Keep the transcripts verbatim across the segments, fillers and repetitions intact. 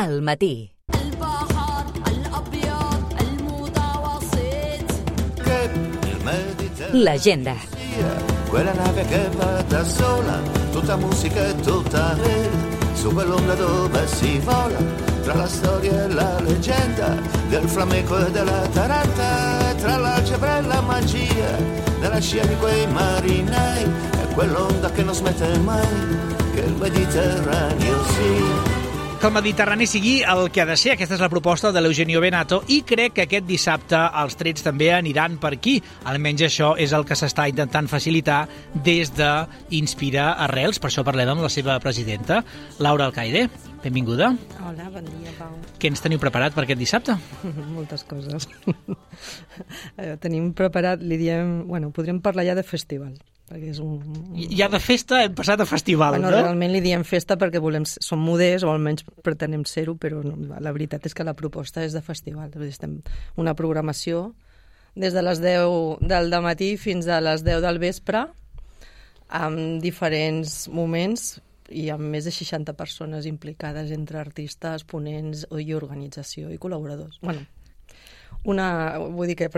al matí. L'agenda. Quella nave che va da sola, tutta musica e tutta vela, su quell'onda dove si vola, tra la storia e la leggenda, del flamenco e della taranta, tra l'algebra e la magia, della scia di quei marinai, e quell'onda che non smette mai, che il Mediterraneo sia. Que el Mediterrani sigui el que ha de ser. Aquesta és la proposta de l'Eugenio Benato i crec que aquest dissabte els trets també aniran per aquí. Almenys això és el que s'està intentant facilitar des d'Inspira Arrels. Per això parlem amb la seva presidenta, Laura Alcaide. Benvinguda. Hola, bon dia, Pau. Què ens teniu preparat per aquest dissabte? Moltes coses. Tenim preparat, li diem... Bueno, podríem parlar ja de festival. Perquè és un... Ja de festa hem passat a festival, bueno, no? Realment li diem festa perquè volem, som moders, o almenys pretenem ser-ho, però no, la veritat és que la proposta és de festival. Estem una programació des de les deu del dematí fins a les deu del vespre, amb diferents moments i amb més de seixanta persones implicades entre artistes, ponents i organització i col·laboradors. Bueno, una, vull dir que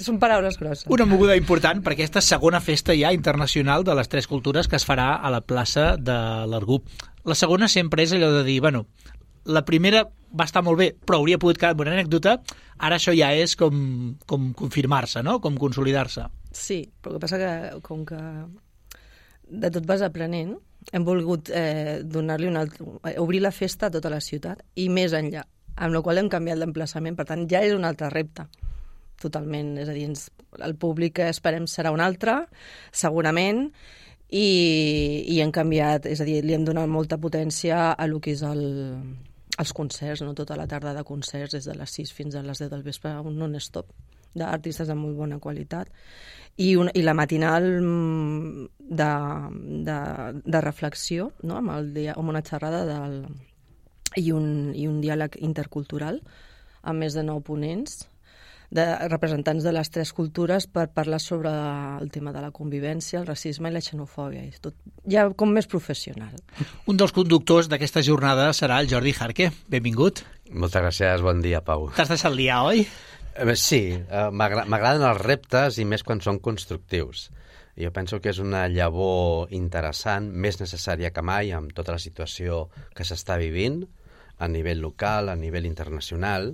són paraules grosses. Una moguda important per aquesta segona festa ja internacional de les tres cultures que es farà a la plaça de l'Argup. La segona sempre és allò de dir, bueno, la primera va estar molt bé, però hauria pogut quedar una anècdota, ara això ja és com, com confirmar-se, no? Com consolidar-se. Sí, però el que passa que com que de tot vas aprenent, hem volgut eh, donar-li una altra, obrir la festa a tota la ciutat i més enllà, amb la qual hem canviat l'emplaçament, per tant ja és un altre repte, totalment, és a dir, ens, el públic esperem serà un altre, segurament, i, i hem canviat, és a dir, li hem donat molta potència a lo que és el, els concerts, no? Tota la tarda de concerts, des de les sis fins a les deu del vespre, un non-stop d'artistes de molt bona qualitat, i, un, i la matinal de, de, de reflexió, no? amb, el dia, amb una xerrada del... I un, i un diàleg intercultural amb més de nou ponents, de representants de les tres cultures per parlar sobre el tema de la convivència, el racisme i la xenofòbia. És tot ja com més professional. Un dels conductors d'aquesta jornada serà el Jordi Jarque. Benvingut. Moltes gràcies, bon dia, Pau. T'has deixat liar, oi? Eh, sí, eh, m'agraden els reptes i més quan són constructius. Jo penso que és una llavor interessant, més necessària que mai, amb tota la situació que s'està vivint, a nivell local, a nivell internacional,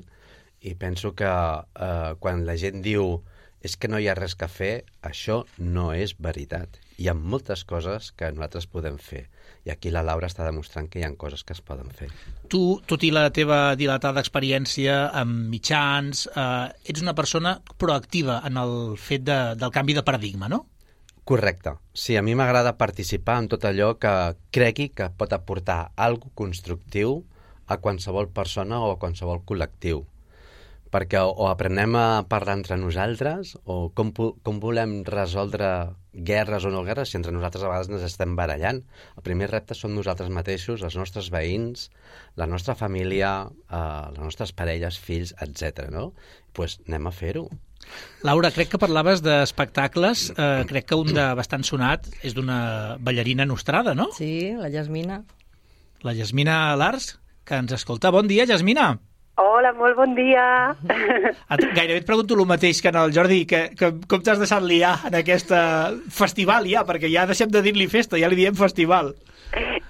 i penso que eh, quan la gent diu és que no hi ha res que fer, això no és veritat. Hi ha moltes coses que nosaltres podem fer, i aquí la Laura està demostrant que hi ha coses que es poden fer. Tu, tot i la teva dilatada experiència amb mitjans, eh, ets una persona proactiva en el fet de, del canvi de paradigma, no? Correcte. Sí, a mi m'agrada participar en tot allò que cregui que pot aportar alguna cosa constructiu a qualsevol persona o a qualsevol col·lectiu. Perquè o, o aprenem a parlar entre nosaltres o com, com volem resoldre guerres o no guerres si entre nosaltres a vegades ens estem barallant. El primer repte són nosaltres mateixos, els nostres veïns, la nostra família, eh, les nostres parelles, fills, etcètera. No? Pues anem a fer-ho. Laura, crec que parlaves d'espectacles, eh, crec que un de bastant sonat és d'una ballarina nostrada, no? Sí, la Yasmina. La Yasmina Lars, que ens escolta. Bon dia, Yasmina. Hola, molt bon dia. Gairebé et pregunto el mateix que en el Jordi, que, que com t'has deixat liar en aquest festival ja, perquè ja deixem de dir-li festa, ja li diem festival.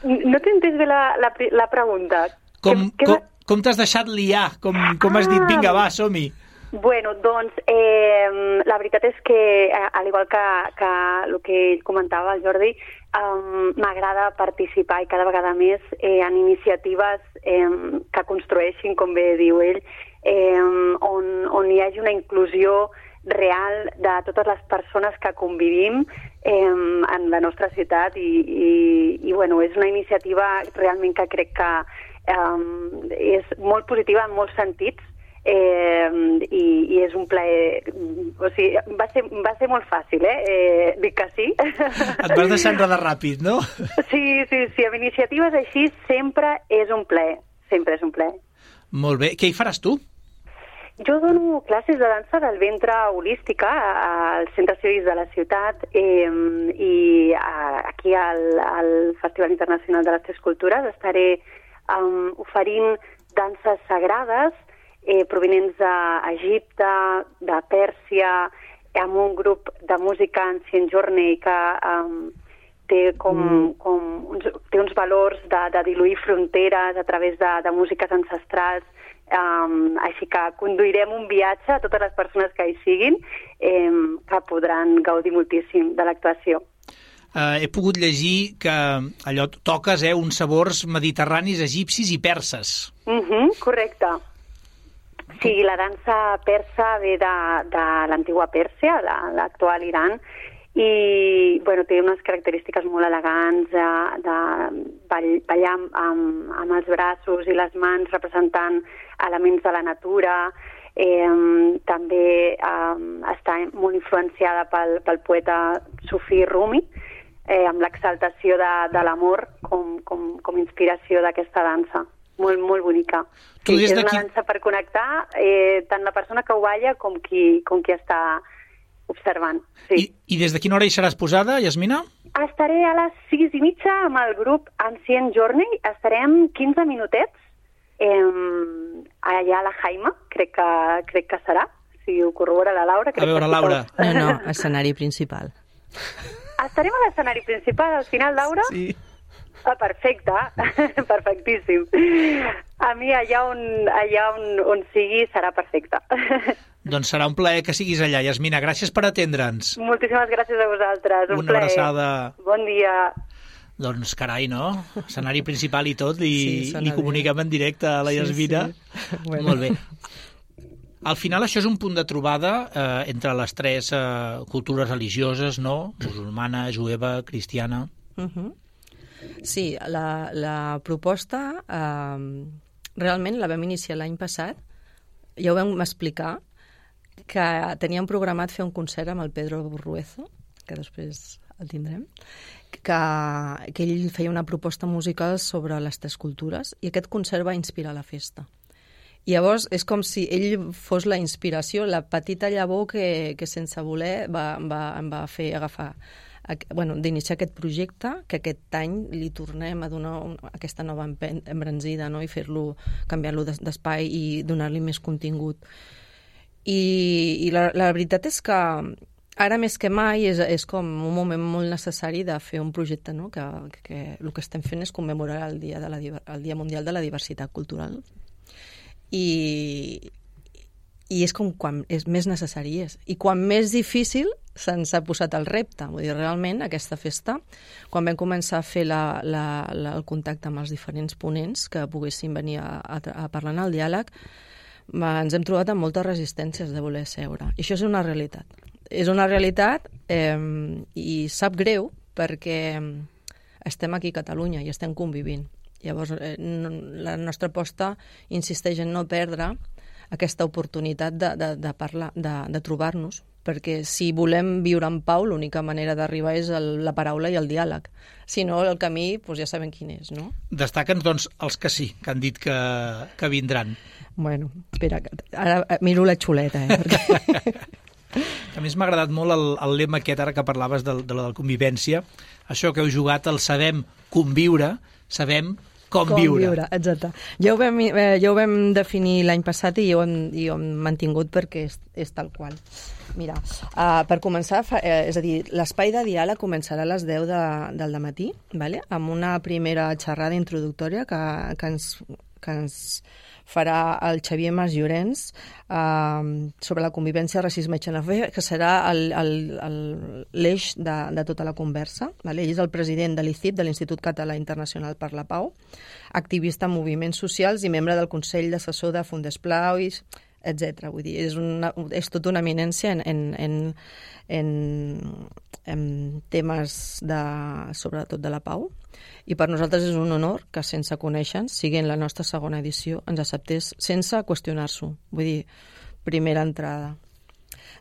No t'he entès bé la, la, la pregunta. Com, que, com, que... com t'has deixat liar? Com, com has dit, vinga, va, som-hi. Bueno, doncs, eh, la veritat és que, al igual que, que el que ell comentava, el Jordi, um, m'agrada participar i cada vegada més eh, en iniciatives eh, que construeixin, com bé diu ell, eh, on, on hi hagi una inclusió real de totes les persones que convivim eh, en la nostra ciutat i, i, i bueno, és una iniciativa realment que crec que eh, és molt positiva en molts sentits. Eh, i, i és un plaer, o sigui, va ser, va ser molt fàcil, eh? eh dic que sí. Et vas deixar enredar ràpid, no? Sí, sí, sí, amb iniciatives així sempre és un plaer, sempre és un plaer. Molt bé, què hi faràs tu? Jo dono classes de dansa del ventre holística al Centre Cívic de la ciutat eh, i a, aquí al, al Festival Internacional de les Tres Cultures estaré um, oferint danses sagrades eh, provenents d'Egipte, de Pèrsia, amb un grup de música Ancient Journey que um, té, com, mm. com uns, té uns valors de, de diluir fronteres a través de, de músiques ancestrals. Um, així que conduirem un viatge a totes les persones que hi siguin eh, que podran gaudir moltíssim de l'actuació. Uh, he pogut llegir que allò toques eh, uns sabors mediterranis, egipcis i perses. Uh-huh, correcte. Sí, la dansa persa ve de, de l'antiga Pèrsia, l'actual Iran, i bueno, té unes característiques molt elegants de, de ballar amb, amb els braços i les mans representant elements de la natura. Eh, també eh, està molt influenciada pel, pel poeta Sufi Rumi, eh, amb l'exaltació de, de l'amor com, com, com inspiració d'aquesta dansa. Molt, molt bonica. Sí, és una dansa per connectar eh, tant la persona que ho balla com qui, com qui està observant. Sí. I, I des de quina hora hi seràs posada, Yasmina? Estaré a les sis i mitja amb el grup Ancient Journey. Estarem quinze minutets eh, allà a la Jaima, crec que, crec que serà, si ho corrobora la Laura. A veure, Laura. No, no, escenari principal. Estarem a l'escenari principal al final, Laura? Sí. Ah, perfecte, perfectíssim. A mi allà on, allà on, on sigui serà perfecte. Doncs serà un plaer que siguis allà, Yasmina. Gràcies per atendre'ns. Moltíssimes gràcies a vosaltres. Un Una plaer. abraçada. Bon dia. Doncs carai, no? Escenari principal i tot, i Sí, li comuniquem en directe a la Sí, Yasmina. sí. Bueno. Molt bé. Al final això és un punt de trobada eh, entre les tres eh, cultures religioses, no? Musulmana, jueva, cristiana. Uh-huh. Sí, la, la proposta eh, realment la vam iniciar l'any passat. Ja ho vam explicar, que teníem programat fer un concert amb el Pedro Burruezo, que després el tindrem, que, que ell feia una proposta musical sobre les tres cultures i aquest concert va inspirar la festa. I llavors és com si ell fos la inspiració, la petita llavor que, que sense voler va, va, em va fer agafar bueno, d'iniciar aquest projecte, que aquest any li tornem a donar un, aquesta nova embranzida, no? I fer-lo, canviar-lo d'espai i donar-li més contingut. I, i la, la veritat és que ara més que mai és, és com un moment molt necessari de fer un projecte, no? que, que el que estem fent és commemorar el Dia, de la, el Dia Mundial de la Diversitat Cultural. I, i és com quan és més necessari és. I quan més difícil se'ns ha posat el repte. Vull dir, realment, aquesta festa, quan vam començar a fer la, la, la, el contacte amb els diferents ponents que poguessin venir a, a, a parlar en el diàleg, va, ens hem trobat amb moltes resistències de voler seure. I això és una realitat. És una realitat eh, i sap greu perquè estem aquí a Catalunya i estem convivint. Llavors, eh, no, la nostra aposta insisteix en no perdre aquesta oportunitat de, de, de parlar, de, de trobar-nos, perquè si volem viure en pau, l'única manera d'arribar és el, la paraula i el diàleg. Si no, el camí, doncs ja sabem quin és, no? Destaquen, doncs, els que sí, que han dit que, que vindran. Bueno, espera, ara miro la xuleta, eh? Perquè... A més, m'ha agradat molt el, el lema aquest, ara que parlaves de, de la convivència, això que heu jugat, el sabem conviure, sabem com, com viure. viure. Exacte. Ja ho vam, eh, ja ho vam definir l'any passat i ho hem, i ho hem mantingut perquè és, és tal qual. Mira, uh, per començar, fa, eh, és a dir, l'espai de diàleg començarà a les deu de, del dematí, vale? Amb una primera xerrada introductòria que, que, ens, que ens farà el Xavier Mas Llorenç uh, sobre la convivència, racisme i xenofòbia, que serà l'eix de, de tota la conversa. Vale? Ell és el president de l'I C I P, de l'Institut Català Internacional per la Pau, activista en moviments socials i membre del Consell d'Assessor de Fundesplau, etcètera. Vull dir, és, una, és tota una eminència en, en, en, en, en temes de, sobretot de la pau. I per nosaltres és un honor que sense conèixer-nos, sigui en la nostra segona edició, ens acceptés sense qüestionar-s'ho. Vull dir, primera entrada.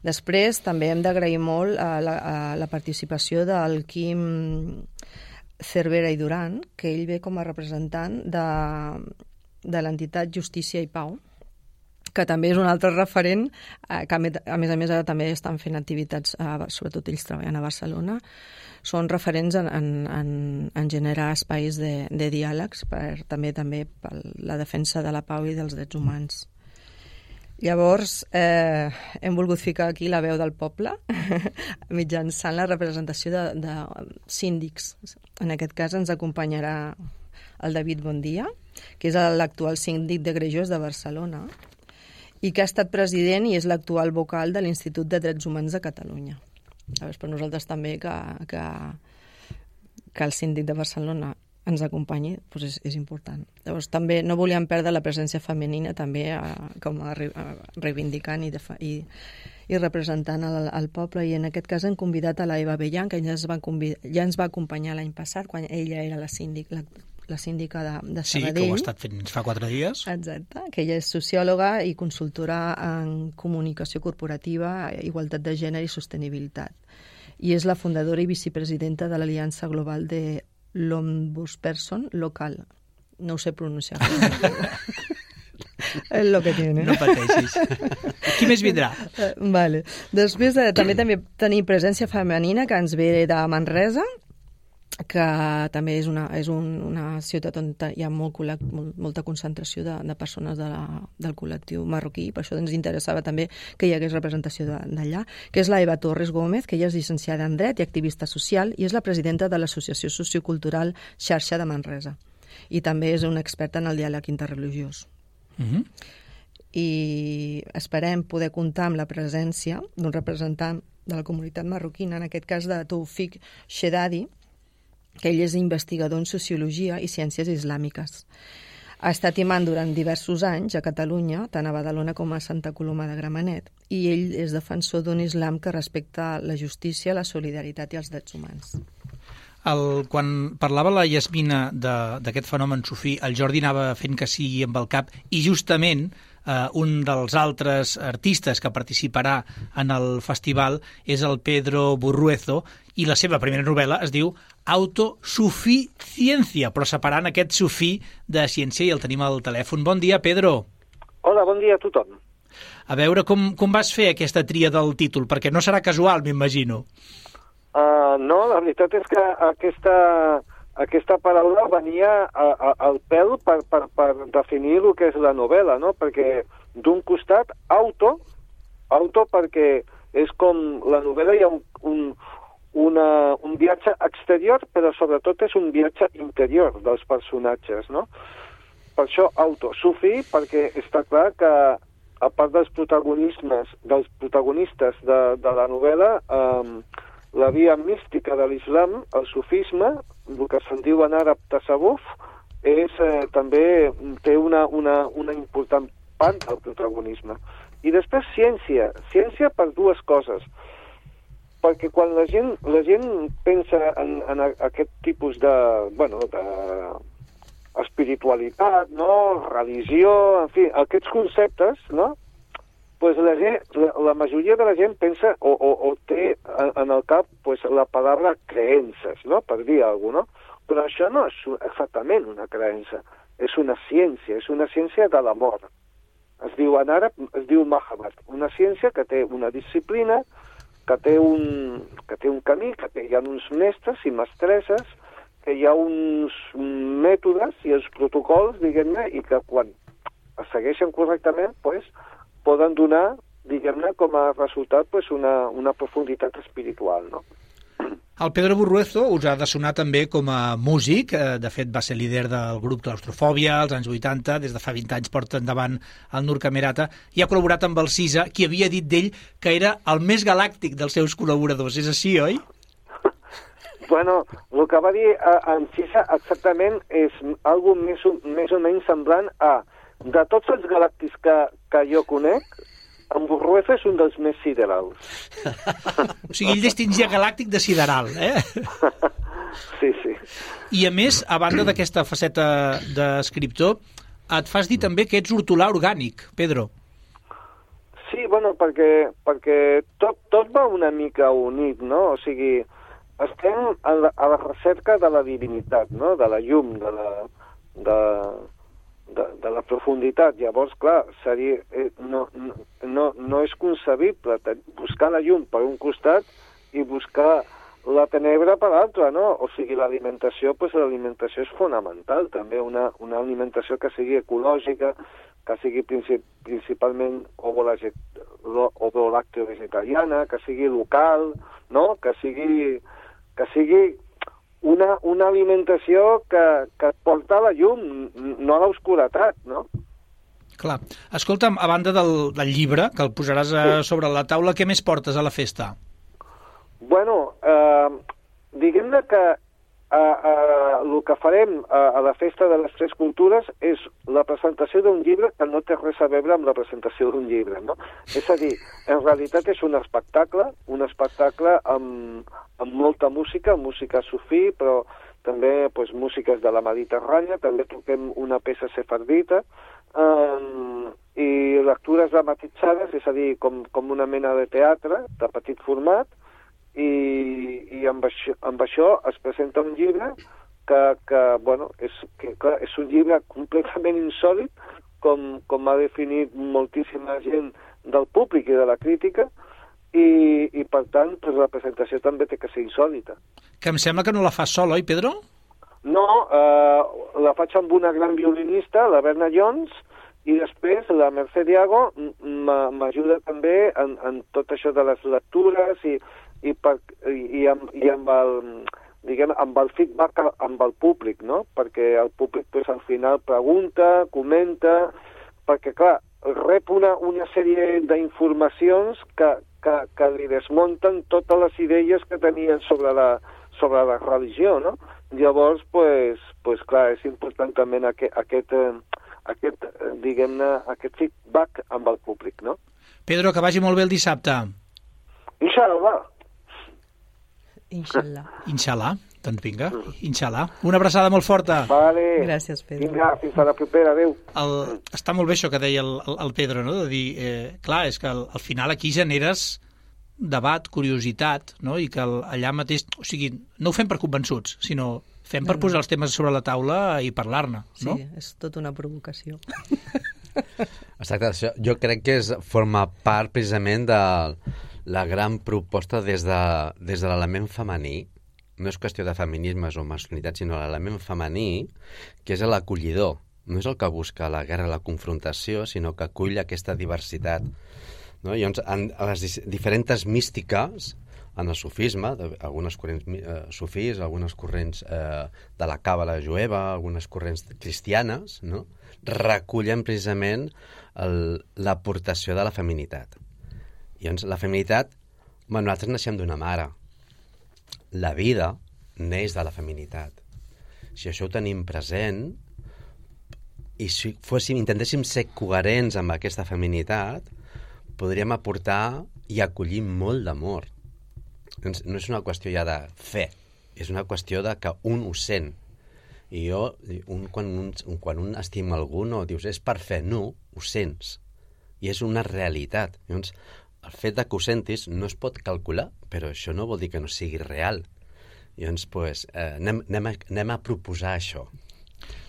Després també hem d'agrair molt a la, a la participació del Quim Cervera i Duran, que ell ve com a representant de, de l'entitat Justícia i Pau, que també és un altre referent, eh, que a més a més ara també estan fent activitats, eh, sobretot ells treballen a Barcelona, són referents en, en, en, en generar espais de, de diàlegs per, també també per la defensa de la pau i dels drets humans. Llavors, eh, hem volgut ficar aquí la veu del poble mitjançant la representació de, de síndics. En aquest cas ens acompanyarà el David Bondia, que és l'actual síndic de Greuges de Barcelona i que ha estat president i és l'actual vocal de l'Institut de Drets Humans de Catalunya. Llavors, per nosaltres també que, que, que el síndic de Barcelona ens acompanyi, doncs és, és important. Llavors, també no volíem perdre la presència femenina també a, com a, a reivindicant i, de, i, i representant el, el poble, i en aquest cas hem convidat a la Eva Bellan, que ja ens va, convidar, ja ens va acompanyar l'any passat, quan ella era la síndic, la, la síndica de, de Sabadell. Sí, que ho ha estat fent fa quatre dies. Exacte, que ella és sociòloga i consultora en comunicació corporativa, igualtat de gènere i sostenibilitat. I és la fundadora i vicepresidenta de l'Aliança Global de l'Ombudsperson local. No ho sé pronunciar. És lo que tiene. No pateixis. Qui més vindrà? Vale. Després eh, també també tenim presència femenina que ens ve de Manresa, que també és una, és un, una ciutat on hi ha molt, molt, molta concentració de, de persones de la, del col·lectiu marroquí, per això ens interessava també que hi hagués representació d'allà, que és la Eva Torres Gómez, que ella és llicenciada en Dret i activista social i és la presidenta de l'Associació Sociocultural Xarxa de Manresa. I també és una experta en el diàleg interreligiós. Mm-hmm. I esperem poder comptar amb la presència d'un representant de la comunitat marroquina, en aquest cas de Toufik Shedadi, que ell és investigador en Sociologia i Ciències Islàmiques. Ha estat imant durant diversos anys a Catalunya, tant a Badalona com a Santa Coloma de Gramenet, i ell és defensor d'un islam que respecta la justícia, la solidaritat i els drets humans. El, quan parlava la Yasmina d'aquest fenomen sufí, el Jordi anava fent que sigui amb el cap, i justament eh, un dels altres artistes que participarà en el festival és el Pedro Burruezo, i la seva primera novel·la es diu Autosuficiencia, però separant aquest sufí de ciència, i el tenim al telèfon. Bon dia, Pedro. Hola, bon dia a tothom. A veure, com, com vas fer aquesta tria del títol? Perquè no serà casual, m'imagino. Uh, no, la veritat és que aquesta, aquesta paraula venia a, a, al pèl per, per, per definir el que és la novel·la, no? Perquè d'un costat, auto, auto perquè és com la novel·la hi ha un, un, una, un viatge exterior, però sobretot és un viatge interior dels personatges, no? Per això auto, sufi, perquè està clar que a part dels protagonismes, dels protagonistes de, de la novel·la, eh, la via mística de l'islam, el sufisme, el que se'n diu en àrab tasawuf, és, eh, també té una, una, una important part del protagonisme. I després ciència, ciència per dues coses. Perquè quan la gent, la gent pensa en, en aquest tipus de, bueno, de espiritualitat, no? Religió, en fi, aquests conceptes, no? Pues la, gent, la, la majoria de la gent pensa o, o, o té en el cap pues, la paraula creences, no? Per dir alguna cosa, no? Però això no és exactament una creença, és una ciència, és una ciència de l'amor. Es diu en àrab, es diu Mahabbat, una ciència que té una disciplina, que té un, que té un camí, que té, hi ha uns mestres i mestresses, que hi ha uns mètodes i els protocols, diguem-ne, i que quan es segueixen correctament, pues, poden donar, diguem-ne, com a resultat pues, una, una profunditat espiritual, no? El Pedro Burruezo us ha de sonar també com a músic, de fet va ser líder del grup Claustrofòbia als anys vuitanta, des de fa vint anys porta endavant el Nur Camerata, i ha col·laborat amb el Cisa, qui havia dit d'ell que era el més galàctic dels seus col·laboradors. És així, oi? Bueno, el que va dir en Cisa exactament és algo més, més o menys semblant a de tots els galàctics que, que jo conec, en Burruezo és un dels més siderals. O sigui, ell distingia galàctic de sideral, eh? Sí, sí. I a més, a banda d'aquesta faceta d'escriptor, et fas dir també que ets hortolà orgànic, Pedro. Sí, bueno, perquè, perquè tot, tot va una mica unit, no? O sigui, estem a la, a la recerca de la divinitat, no? De la llum, de la... De... de, de la profunditat. Llavors, clar, seria, eh, no, no, no és concebible buscar la llum per un costat i buscar la tenebra per l'altre, no? O sigui, l'alimentació, doncs l'alimentació és fonamental, també una, una alimentació que sigui ecològica, que sigui princip, principalment ovo-lacteo-vegetariana, que sigui local, no? Que sigui, que sigui una, una alimentació que, que et porta a la llum, no a l'obscuretat, no? Clar. Escolta'm, a banda del, del llibre, que el posaràs a, sí. sobre la taula, què més portes a la festa? Bueno, eh, diguem-ne que eh, eh, el que farem a, a la Festa de les Tres Cultures és la presentació d'un llibre que no té res a veure amb la presentació d'un llibre, no? És a dir, en realitat és un espectacle, un espectacle amb, amb molta música, música sufí, però també pues, músiques de la Mediterrània, també toquem una peça sefardita, eh, i lectures dramatitzades, és a dir, com, com una mena de teatre de petit format, i, i amb, això, amb això es presenta un llibre que, que bueno, és, que, clar, és un llibre completament insòlit, com, com ha definit moltíssima gent del públic i de la crítica, i, i per tant, pues, la presentació també té que ser insòlita. Que em sembla que no la fas sol, oi, Pedro? No, eh, la faig amb una gran violinista, la Berna Jones, i després la Mercè Diago m'ajuda també en, en tot això de les lectures i i, per, i, i, amb, i amb, el, diguem, amb el feedback amb el públic, no? Perquè el públic pues, al final pregunta, comenta, perquè clar, rep una, una sèrie d'informacions que, que, que li desmunten totes les idees que tenien sobre la, sobre la religió, no? Llavors, pues, pues, clar, és important també aquest, aquest, aquest, diguem-ne, aquest feedback amb el públic, no? Pedro, que vagi molt bé el dissabte. Inshallah. Inshallah. Inshallah, doncs vinga, inshallah. Una abraçada molt forta. Vale. Gràcies, Pedro. Vinga, fins a la propera, adéu. El, està molt bé això que deia el, el, el Pedro, no? De dir, eh, clar, és que al, al final aquí generes debat, curiositat, no? I que el, allà mateix, o sigui, no ho fem per convençuts, sinó fem per no, no. posar els temes sobre la taula i parlar-ne, no? Sí, és tota una provocació. Exacte, això jo crec que és, forma part precisament de la gran proposta des de, des de l'element femení. No és qüestió de feminismes o masculinitat, sinó l'element femení, que és l'acollidor. No és el que busca la guerra, la confrontació, sinó que acull aquesta diversitat. No? Llavors, en, en les diferents místiques, en el sufisme, algunes corrents eh, sufís, algunes corrents eh, de la càbala jueva, algunes corrents cristianes, no? Recullen precisament l'aportació de la feminitat. I llavors, la feminitat, bueno, nosaltres naixem d'una mare. La vida neix de la feminitat. Si això ho tenim present, i si fóssim, intentéssim ser coherents amb aquesta feminitat, podríem aportar i acollir molt d'amor. No és una qüestió ja de fe, és una qüestió de que un ho sent. I jo, un, quan, un, quan un estima algú, no dius, és per fe, no, ho sents. I és una realitat. Llavors, el fet de que ho sentis no es pot calcular, però això no vol dir que no sigui real. Llavors, pues, eh, anem, anem, a, anem a proposar això.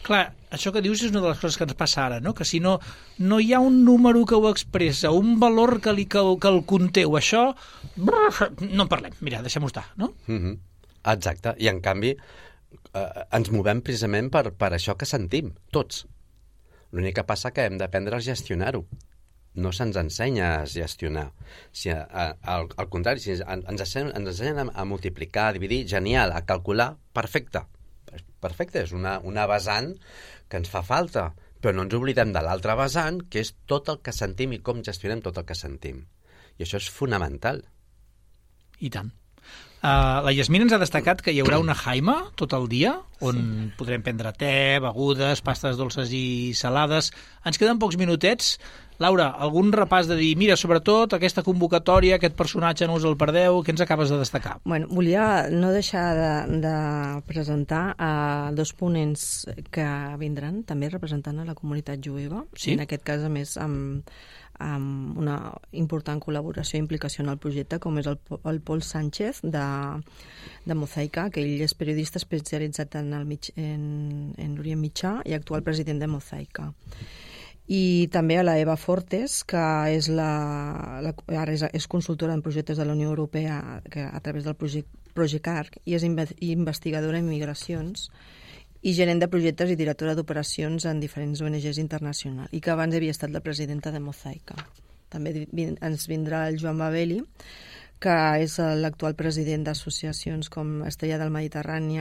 Clar, això que dius és una de les coses que ens passa ara, no? Que si no, no hi ha un número que ho expressa, un valor que, li, que, que el conteu, això, no en parlem, mira, deixem-ho estar, no? Mm-hmm. Exacte, i en canvi eh, ens movem precisament per, per això que sentim, tots. L'únic que passa que hem d'aprendre a gestionar-ho. No se'ns ensenya a gestionar. Si, a, a, al, al contrari, si ens, ens ensenyen a, a multiplicar, a dividir, genial, a calcular, perfecte. Perfecte, és una, una vessant que ens fa falta, però no ens oblidem de l'altre vessant, que és tot el que sentim i com gestionem tot el que sentim. I això és fonamental. I tant. Uh, la Yasmina ens ha destacat que hi haurà una jaima tot el dia, on sí. podrem prendre te, begudes, pastes dolces i salades. Ens queden pocs minutets. Laura, algun repàs de dir, mira, sobretot aquesta convocatòria, aquest personatge no us el perdeu, què ens acabes de destacar? Bueno, volia no deixar de, de presentar a dos ponents que vindran, també representant a la comunitat jueva, sí? En aquest cas, a més, amb, amb una important col·laboració i implicació en el projecte, com és el, el Pol Sánchez, de, de Mosaica, que ell és periodista especialitzat en, el mig, en, en l'Orient Mitjà i actual president de Mosaica. I també a la Eva Fortes, que és, la, la, ara és, és consultora en projectes de la Unió Europea que, a través del projecte Progecarc, i és investigadora en migracions i gerent de projectes i directora d'operacions en diferents O N Ges internacionals, i que abans havia estat la presidenta de Mosaica. També ens vindrà el Joan Babeli, que és l'actual president d'associacions com Estrella del Mediterrani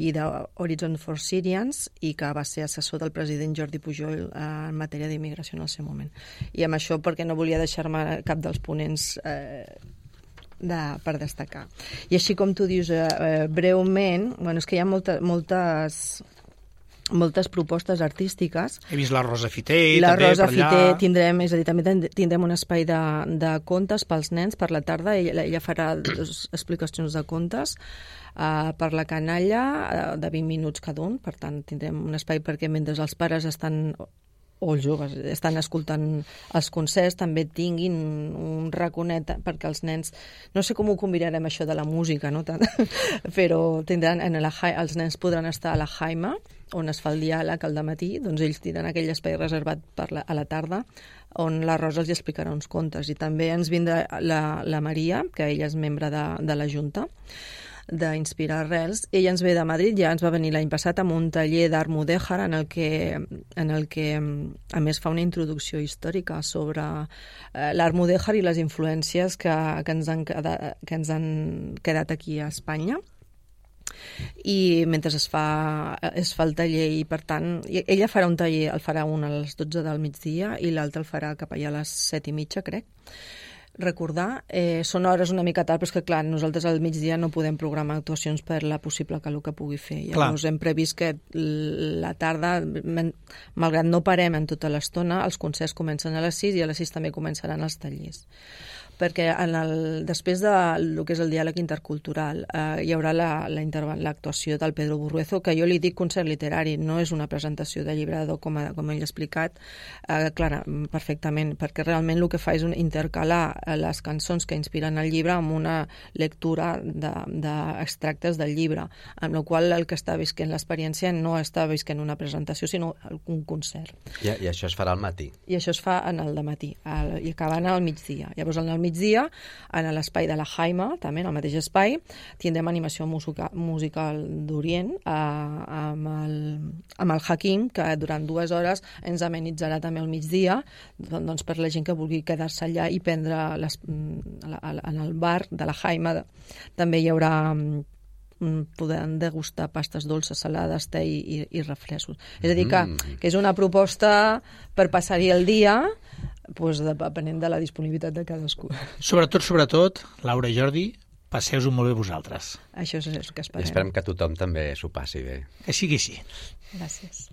i d'Horizon for Syrians, i que va ser assessor del president Jordi Pujol en matèria d'immigració en el seu moment. I amb això, perquè no volia deixar-me cap dels ponents eh, de, per destacar. I així com tu dius, eh, breument, bueno, és que hi ha molta, moltes... moltes propostes artístiques. He vist la Rosa Fité, la també Rosa per allà. Fité tindrem, és a dir, també tindrem un espai de, de contes pels nens per la tarda. Ella, ella farà dues explicacions de contes uh, per la canalla uh, de vint minuts cada un. Per tant, tindrem un espai perquè mentre els pares estan o els joves estan escoltant els concerts, també tinguin un raconet perquè els nens, no sé com ho combinarem això de la música, no tant, però tindran en la, els nens podran estar a la Jaima, on es fa el diàleg al dematí, doncs ells tindran aquell espai reservat per la, a la tarda, on la Rosa els explicarà uns contes. I també ens vindrà la, la Maria, que ella és membre de, de la Junta, d'Inspirar Arrels. Ella ens ve de Madrid, ja ens va venir l'any passat amb un taller d'art mudèjar en el que, en el que a més fa una introducció històrica sobre eh, l'art mudèjar i les influències que, que, ens han, que ens han quedat aquí a Espanya. I mentre es fa, es fa el taller, i per tant ella farà un taller, el farà un a les dotze del migdia i l'altre el farà cap allà a les set i mitja, crec. Recordar, eh, són hores una mica tard, però és que, clar, nosaltres al migdia no podem programar actuacions per la possible calor que pugui fer. Llavors clar. Hem previst que la tarda, malgrat no parem en tota l'estona, els concerts comencen a les sis i a les sis també començaran els tallers. Perquè en el, després de lo que és el diàleg intercultural eh, hi haurà l'actuació del Pedro Burruezo, que jo li dic concert literari, no és una presentació de llibrador com, a, com ell ha explicat, eh, clara, perfectament, perquè realment el que fa és un, intercalar les cançons que inspiren el llibre amb una lectura d'extractes de, del llibre, amb la qual el que està visquent l'experiència no està visquent una presentació, sinó un concert. I, I això es farà al matí? I això es fa en el dematí, al, i acabant al migdia. Llavors, en el migdia, en l'espai de la Jaima, també en el mateix espai, tindrem animació musica, musical d'Orient eh, amb, el, amb el Hakim, que durant dues hores ens amenitzarà també al migdia, doncs per la gent que vulgui quedar-se allà i prendre les, en el bar de la Jaima. També hi haurà podem degustar pastes dolces, salades, te i, i, i refrescos. És a dir, que, que és una proposta per passar-hi el dia, doncs, depenent de la disponibilitat de cadascú. Sobretot, sobretot, Laura i Jordi, passeu-ho molt bé vosaltres. Això és el que esperem. I esperem que tothom també s'ho passi bé. Que sigui així. Gràcies.